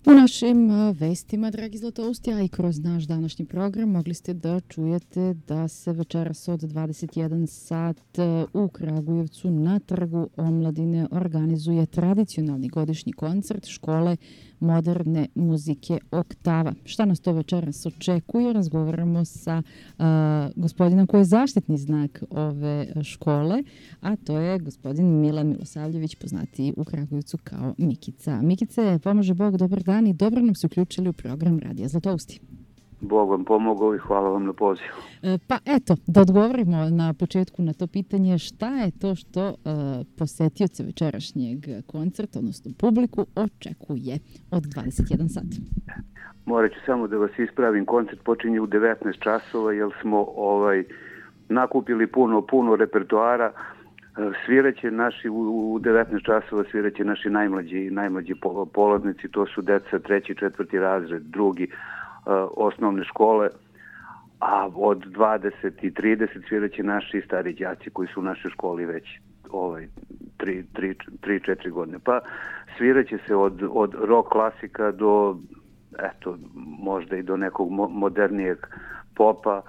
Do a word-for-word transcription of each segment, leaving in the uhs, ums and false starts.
U našim vestima, dragi Zlatousti, a i kroz naš današnji program mogli ste da čujete da se večeras od dvadeset jedan sat u Kragujevcu na Trgu omladine organizuje tradicionalni godišnji koncert škole moderne muzike Oktava. Šta nas to večeras očekuje? Razgovaramo sa uh, gospodinom koji je zaštitni znak ove škole, a to je gospodin Milan Milosavljević, poznatiji u Kragujevcu kao Mikica. Mikice, pomaže Bog, dobar dan i dobro nam se uključili u program Radija Zlatousti. Bog vam pomogao i hvala vam na pozivu. E, pa eto, da odgovorimo na početku na to pitanje, šta je to što e, posetioce večerašnjeg koncerta, odnosno publiku, očekuje od dvadeset jedan sat? Morat ću samo da vas ispravim, koncert počinje u devetnaest časova jer smo ovaj nakupili puno, puno repertoara. Sviraće naši u devetnaest časova sviraće naši najmlađi, najmlađi polaznici, to su deca treći, četvrti razred, drugi uh, osnovne škole, a od dvadeset i trideset sviraće naši stari đaci koji su u našoj školi već ovaj tri četiri godine. Pa sviraće se od, od rock klasika do, eto, možda i do nekog mo- modernijeg popa,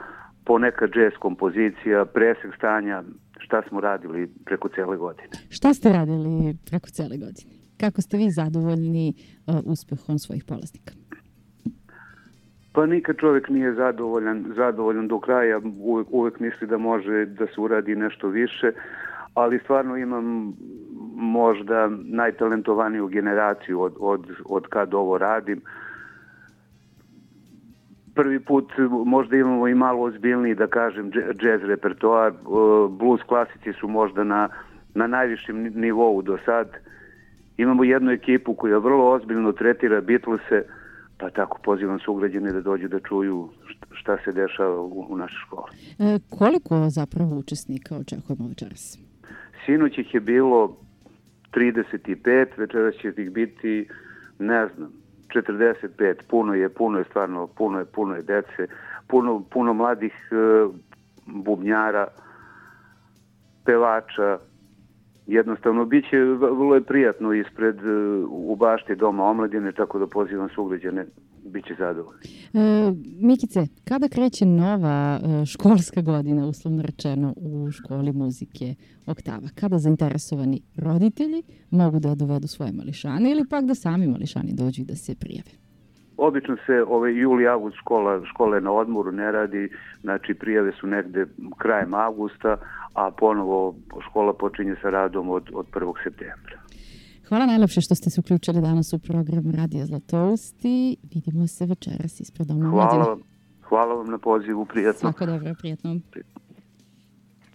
poneka džez kompozicija, presek stanja, šta smo radili preko cele godine. Šta ste radili preko cele godine? Kako ste vi zadovoljni uh, uspehom svojih polaznika? Pa nikad čovjek nije zadovoljan, zadovoljan do kraja, uvek, uvek misli da može da se uradi nešto više, ali stvarno imam možda najtalentovaniju generaciju od, od, od kad ovo radim. Prvi put možda imamo i malo ozbiljniji, da kažem, džez repertoar. Blues klasici su možda na, na najvišem nivou do sad. Imamo jednu ekipu koja vrlo ozbiljno tretira Beatlese, pa tako pozivam sugrađane da dođu da čuju šta se dešava u, u našoj školi. E, koliko zapravo učesnika očekujemo večeras? Sinoć ih je bilo trideset pet, večeras će ih biti, ne znam, četrdeset pet, puno je, puno je stvarno, puno je, puno je dece, puno, puno mladih uh, bubnjara, pevača. Jednostavno, bit će vrlo je prijatno ispred uh, u bašti Doma omladine, tako da pozivam sugrađane, bit će zadovoljni. E, Mikice, kada kreće nova e, školska godina, uslovno rečeno, u školi muzike Oktava? Kada zainteresovani roditelji mogu da dovedu svoje mališane ili pak da sami mališani dođu i da se prijave? Obično se ovaj juli, avgust škola, škola je na odmoru, ne radi, znači prijave su negde krajem avgusta, a ponovo škola počinje sa radom od, od prvog septembra. Hvala najlepše što ste se uključili danas u program Radija Zlatousti. Vidimo se večeras ispred Doma omladine. Hvala vam, hvala vam na pozivu, prijatno. Svako dobro, prijatno.